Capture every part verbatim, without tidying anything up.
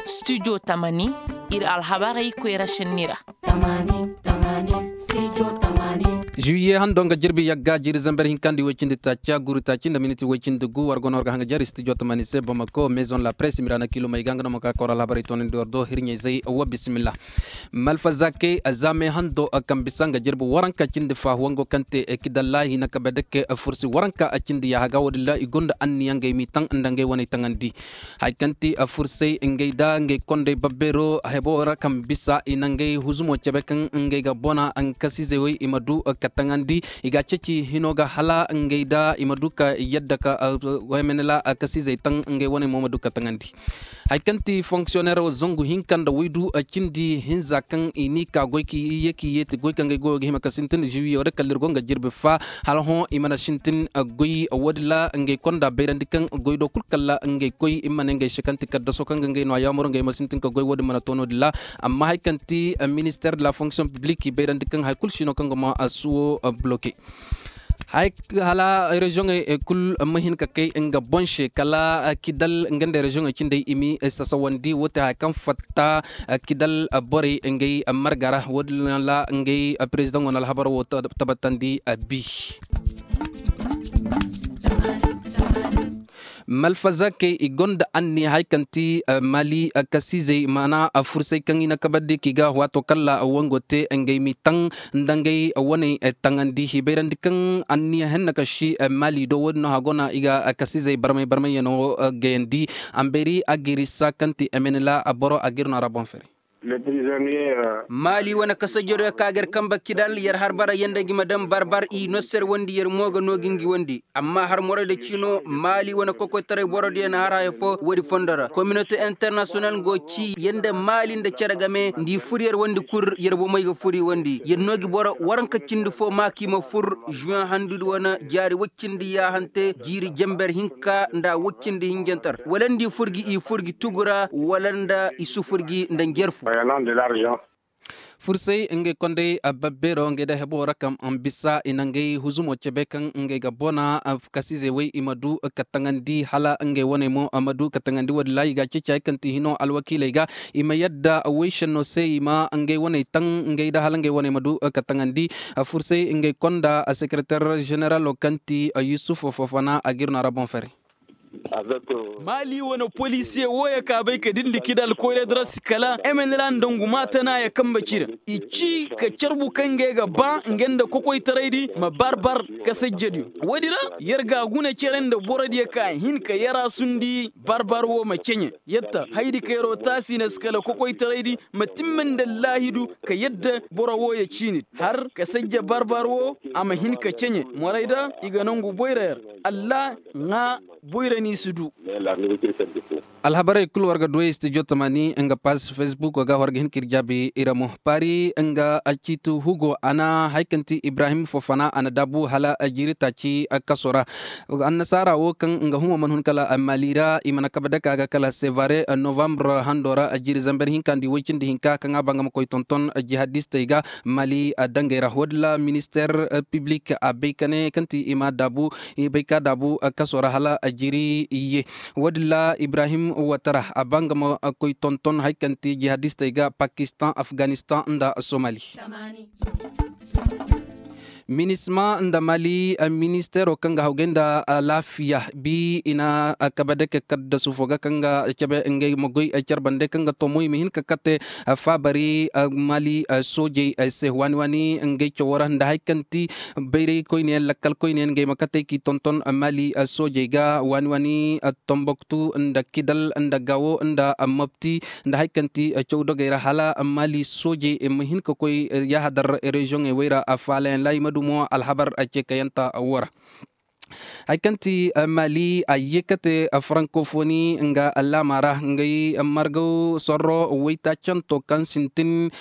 Studio tamani, ir alhabarey koyra šenni ra. Juwiye hando nga jirbi yagga jiiri zamber hinka nda woy cindi taaca guru taaci nda miniti woy cindi gu war go no war ga hanga jari studio tamani se bamako maison la presse mirana kilomey ga nga no ma ka kawra alhabarey toonandi war do hirɲey zey wa bisimilla. Malfazakey zamey hando kaŋ bisa nga jirbi waranka cindi faahu wango kaŋ te kidallaahi na kabe dake fursi waranka cindi yaaha ga wo- din ra i gonda anniya ngey m'i taŋ nda ngey wane taŋandi. Haya kaŋ ti fursay ngey nda ngey kondey babbeero hebo ra kaŋ bisa i na ngey huzumo cebe kaŋ ngey ga bona kasizey wey i ma du ka taŋandi. I ga a ceeci hino ga hala ngey nda i ma du ka yadda ka waymanila kasizey taŋ ngey wane mo ma du ka taŋandi. Haya kaŋ ti fonksiyonero zangu hinka nda waydu cindi hinza kaŋ i n'i ka goy ka i ye ka i yeeti goy kaŋ ngey goyo ga hima ka sintin ziwiyo da kala ir go nga jirbi fa hala hõ i mana sintin goy wo- din ra ngey konda bayrandi kaŋ goy do kulu kala ngey koy i ma ne ngey se kaŋ ti kaddaso kaŋ ga ngey no a yaamar ngey ma sintin ka goy wo- din mana to no- din ra. Amma haya kaŋ ti minister de la fonction publique i bayrandi kaŋ haya kulu si no kaŋ ga ma suwo bloke. Haya hala reziyoŋey kulu ma hin ka kay nga boŋ se kala kidal nga nda reziyoŋey cindey i m'i sasawandi wo- te haya kaŋ fatta kidal borey ngey marga ra wo- din ra ngey perezidaŋo na alhabar wo tabbatandi. Bi malfazakey i gonda anniya haya kaŋ ti mali kasizey maana fursay kaŋ i na kabardi k'i ga waato kala wango te ngey m'i taŋ nda ngey waney taŋandi i bayrandi kaŋ anniya henna ka si mali do wo- din no hagona i ga kasizey barmay barmayyaŋo gayandi. Ambeeri agirisa kaŋ ti emenela boro agir no a ra boŋ fere. Maali wane kasajediyo ka ga yer kanbe kidal yer har bara yanda ngi ma daŋ barbar i no serwandi yer mo ga noo gi ngi wandi. Amma har morayda ciino maali wane kokoytaray borodiyo na har haya fo woodi fondo ra kominote internasiyonal go ci yanda maali nda cere game nda i fur yer wandi kul yer bomey ga fur i wandi yer noo gi boro waranka cindi fo maa ka i ma fur. Zuwen handudi wane jaari woy cindi yaahante jiiri jenber hinka nda woy cindi hinjantar wala nda i fur gi i fur gi tugu ra wala nda i sufur gi nda njarfu. Fursay ngey kondey babbeero ngey da heboo ra kaŋ bisa i na ngey huzumo cebe kaŋ ngey ga bona kasizey wey i ma du ka taŋandi hala ngey waney mo ma du ka taŋandi woodin ra i ga a ceeci hay kaŋ ti hino alwakiiley ga i ma yadda wey šenno se i ma ngey waney taŋ ngey da hala ngey waney ma du ka taŋandi. Fursay ngey konda sekereter ženeralo kaŋ ti yusuf fofana a ga ir no a ra boŋ fere. Maali wane polisiye wooyo ka bay ka dindi kida alkoyra dira si kala emenela nda ngu maatanaya kanbe ci ra i ci ka carbu kaŋ ngey ga ba ngey nda kokoytaraydi ma barbar kasajjediyo woodi ra. Yer ga a guna cere nda borodiyo ka hin ka yaraasundi barbar woo ma ceɲe yadda haydi ka yeroo taasi na si kala kokoytaraydi ma timma nda allaahidu ka yadda boro wooyo ciini har kasajja barbar woo a ma hin ka ceɲe morayda i ga nongu boyra yer. Alla ŋaa boyra n'i si du. Alhabarey kul war ga duwey studio tamani nga paas fesbuk ga war ga hin ka ir jaabi ira mo paari nga ciiti hugo a na hay kaŋ ti ibrahim fofana a na daabu hala jiiri taaci kaso ra. Annasaara wo kaŋ nga humo mana hun kala mali ra i mana kabe dake a ga kala sevare novambre hando ra jiiri zamber hinka nda i woy cindi hinka kaŋ a ba nga ma koy tonton jihadistey ga. Mali dangey ra woodin ra minister piblik a bay ka ne kaŋ ti i ma daabu i bay ka daabu kaso ra hala jiri ye. Woodin ra ibrahim watara a ba nga ma koy tonton hay kaŋ ti jihadistey ga pakistan afganistan nda somali. Minisma nda mali ministeero kaŋ ga hawgay nda alaafiya bi i na kabe dake kaddasu fo ga kaŋ ga cabe ngey ma goy care bande kaŋ ga tomoy ma hin ka kate faabari mali soojey se waani waani ngey cawo ra nda hari kaŋ ti bayray koyne yaŋ lakkal koyne yaŋ ngey ma katey k'i tonton mali soojey ga waani waani tomboktu nda kidal nda gawo nda mopti nda hari kaŋ ti caw dogey ra hala mali soojey ma hin ka koy yaahadar reziyoŋey wey ra faalayaŋ laahimadu mo alhabar ceekayanta wo ra. Hari kaŋ ti mali a ye ka te farankofoni nga laama ra ngey margaw sorro waytaacanto kaŋ sintin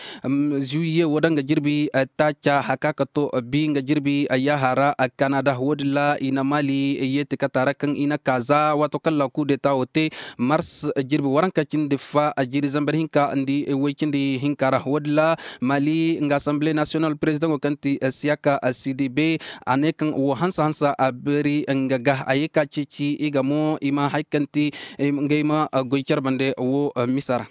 zuwiye wo da nga jirbi taaca haka ka to bi nga jirbi yaaha ra kanada wo- din ra i na mali yeeti kata ra kaŋ i na ka za waato kaŋ laaku deeta wo te mars jirbi waranka cindi fa jiiri zambar hinka nda way cindi hinka ra wo- din ra mali nga asamble nasiyonal perezidaŋo kaŋ ti siyaka sidibe a ne kaŋ wo hansa hansa a beeri. nga ga a ye ka ceeci i ga mo i ma hari kaŋ ti ngey ma goy care bande wo misa ra.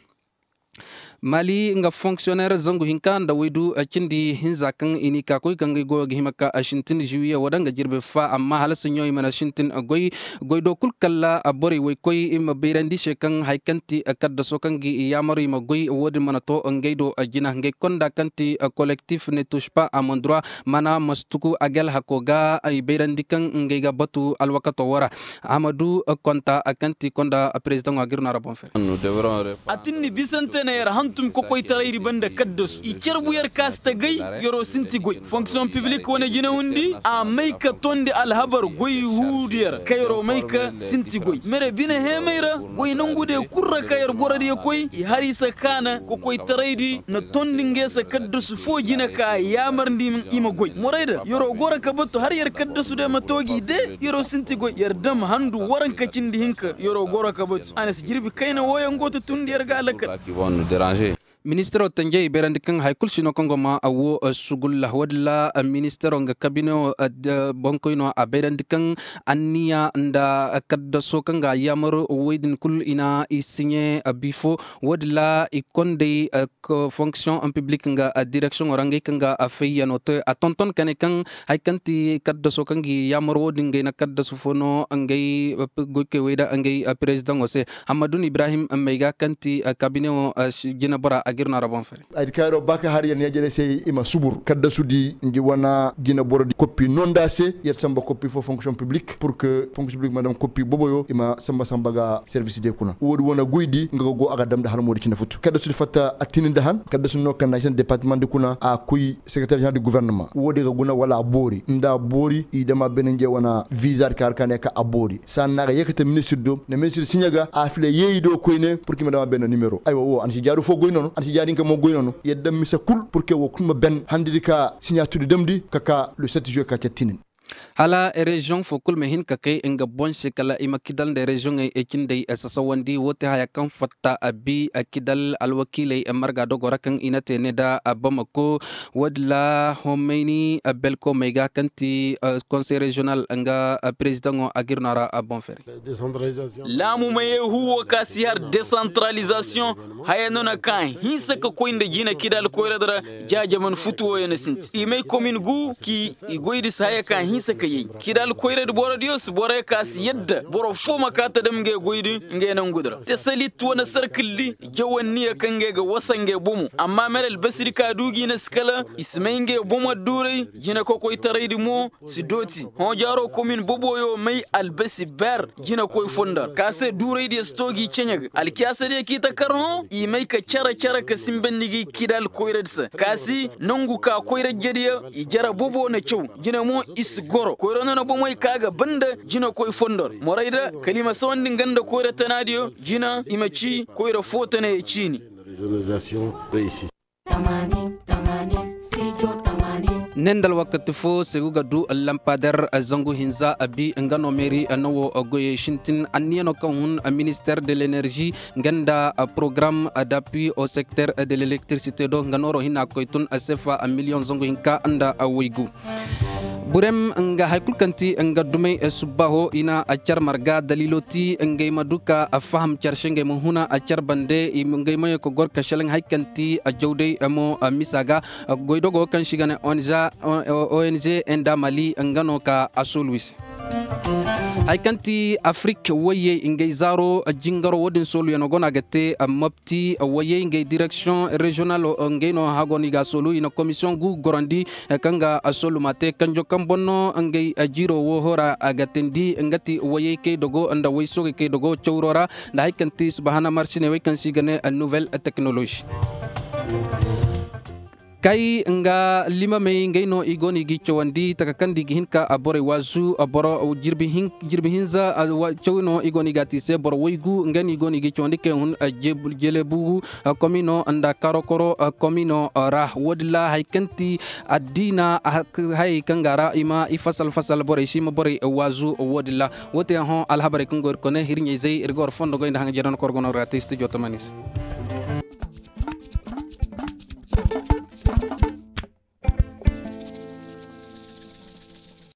Mali nga fonksiyoneer zangu hinka nda waydu cindi hinza kaŋ i n'i ka koy ka ngey goyo ga hima ka sintin ziwiye wo da nga jirbi fa amma hala saɲɲo i mana sintin goy. Goy do kul kala borey woy koy i ma bayrandi se kaŋ hari kaŋ ti kaddaso kaŋ ga i yaamar i ma goy wo- din mana to ngey do jina ngey konda kaŋ ti kolektif ne tush pa amandura mana ma si tugu agel hako ga i bayrandi kaŋ ngey ga batu alwakato wo ra. Amadu konta kaŋ ti konda perezidaŋo a ga ir no a ra boŋ fere. A tin ni bisante na yer hantum kokoytaraydi banda kaddasu i carbu yer ka si ta gay. Yer'o sinti goy fonksiyoŋ piblik wane jinawundi a may ka tondi alhabar goy huudu yer ka yer'o may ka sinti goy mere bine heemay ra. Goy nongu de kul ra ka yer goro diyo koy i har i se kaana kokoytaraydi na tondi nge se kaddasu foo jine ka yaamarndi i ma goy morayda yer'o goro ka batu har yer kaddasu de ma toogi de. Yer'o sinti goy yer dam handu waranka cindi hinka yer'o goro ka batu a na si jirbi kayna wooyaŋ go ta tundi yer ga a lakkal. Ministiro tanjey i bayrandi kaŋ hari kulu si no kaŋ go ma a wo sugulla wo- din ra. Ministiro nga kabine wo boŋkoyno a bayrandi kaŋ anniya nda kaddaso kaŋ ga a yaamar woy din kulu i na i siɲe bifo wo- din ra i kondey fonksiyoŋ piblik nga direksiyoŋo ra ngey kaŋ ga a fayyano te a tonton ka ne kaŋ hari kaŋ ti kaddaso kaŋ ga i yaamar wo- din ngey na kaddasu fo no ngey goykey wey da ngey perezidaŋo se. Hammadu ibrahim may ga kaŋ ti kabinewo jinebora a ga ir no a ra boŋ fere. Ay di kaŋ yer'o ba ka har yer ne jere se i ma subur kaddasu di ngi wane jineboro di koppi no nda se yer samba koppi fo fonksiyoŋ piblik pur ke fonksiyoŋ piblik ma dam koppi boboyo i ma samba samba ga servis de kuna wo- din wane goydi nga ga go a ga dam nda har moodi cine futu kaddasu di fatta a tini nda han kaddasu no kaŋ na ay se nda departama di kuna a koy sekereter jeneral di guvernama wo- din ga guna wala a boori nda a boori i dam a beene nge wane viza di kaŋ har ka ne ka a boori saani no a ga yeekate ministir do nda ministir siɲe ga a fila yeeyi do koyne pur ka i ma dam a beene nimero aywa wo a na si jaaru fo goy nono a na si jaari hinka mo goy nono yadda mise kul pur ka wo kul ma ben handi di ka siɲaatudi damndi ka ka le sept juwe ka cattinin. Hala reziyoŋ fo kul ma hin ka kay nga boŋ se kala i ma kidal nda reziyoŋey cindey sasawandi wo te haya kaŋ fatta a bi kidal alwakiiley marga dogo ra kaŋ i na te ne nda bamako wo- din ra homayni belkomey ga kaŋ ti konsey reziyonal nga perezidaŋo a ga ir no a ra boŋ fere. Laamu mayey huwo ka si har desantaralizasiyoŋ haya no na ka hinsa ka koy nda jina kida alkoyradi ra. Jaajaman futu wooyo na sinti i may komin gu ki i goydi si haya ka hinsa ka yay kida alkoyradi borodiyo si borey ka si yadda boro foo ma ka ta dam ngey goydi ngey nangudi ra te salit wane sarkildi jawanniya kaŋ ngey ga wasa ngey bomo amma mere albasidi ka du gi na si kala i si may ngey bomo adduuray. Jina kokoytaraydi mo si dooti hõ jaaro komin boboyo may albasi ber jinakoy fondor ka se duuraydiyo si to gi ceɲe ga alkiyaasadiyo k'i ta kar hõ i may ka care care ka simbandi gi kida alkoyradi se ka si nongu ka koyrajediyo i jara bobo na caw. Jina mo i si goro koyra no na bomey ka ga banda jinakoy fondor morayda kala i ma sawandi nga nda koyra tanaadiyo jina i ma ci koyra foo tanayo ciini. Ne nda alwakati fo se gu ga du lampader zangu hinza abi nga no meeri no wo goyey sintin anniya no kaŋ hun minister de lenerzi nga nda program d'appui au secteur de l'electricité do nga nooro hina koy tun sefa miliyoŋ zangu hinka nda waygu. Burem nga hari kulu kaŋ ti nga dumey subbaho i na car marga daliilo ti ngey ma du ka faham car se ngey ma huna car bande ngey ma ye ka goro ka selaŋ hari kaŋ ti jawday mo misa ga. Goydogo kaŋ se i ga ne ong ong nda mali nga no ka a soolu i se. Hari kaŋ ti afrik wayey ngey zaaro jingaro wo- din sooluyaŋo go no a ga te mopti wayey ngey direksiyoŋ reziyonal ngey no hago no i ga a soolu i na komisiyoŋ gu gorandi kaŋ ga a soolu ma te kanjo kaŋ boŋ no ngey jiiro wo hora a ga teendi nga ti wayey kay dogo nda way soogey kay dogo cawro ra. Nda hari kaŋ ti subahana marsiney wey kaŋ se i ga ne nuwel teknolozi. Kay nga limamey ngey no i go no i g'i cawandi taka kaŋ nda i ga hin ka borey waazu boro jirbi hinza cawi no i go no i g'a te i se boro waygu ngey no i go no i g'i cawandi kaŋ hun jelebugu komino nda karokoro komino ra wo- din ra hari kaŋ ti addiina hayey kaŋ ga ra i ma i fasal fasal borey se i ma borey waazu wo- din ra. Wo- te hõ alhabarey kaŋ go ir kone hirɲey zey ir ga war fondo goy nda haŋ jere no kor go no ir ga te istijo tamani se.